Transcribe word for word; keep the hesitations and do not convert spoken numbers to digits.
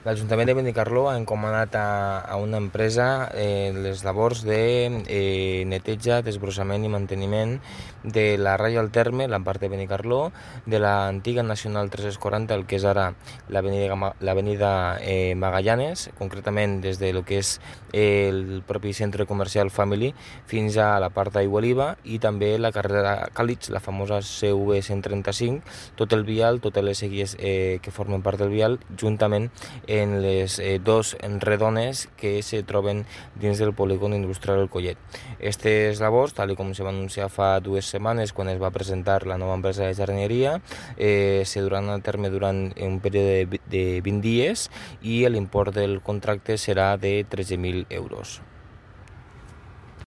L'Ajuntament de Benicarló ha encomanat a, a una empresa eh, les labors de eh, neteja, desbrossament i manteniment de la ratlla al terme, la part de Benicarló, de l'antiga Nacional tres-cents quaranta, el que és ara l'avenida eh, Magallanes, concretament des de lo que és eh, el propi centre comercial Family fins a la part d'Aigualiva, i també la carrera Càlix, la famosa C V cent trenta-cinc, tot el vial, totes les seguies eh, que formen part del vial, juntament en les eh, dos redones que se troben dins del polígon industrial El Collet. Aquestes labors, tal com se va anunciar fa dues setmanes quan es va presentar la nova empresa de jardineria, eh, se duran a terme durant un període de, de vint dies i l'import del contracte serà de tretze mil euros.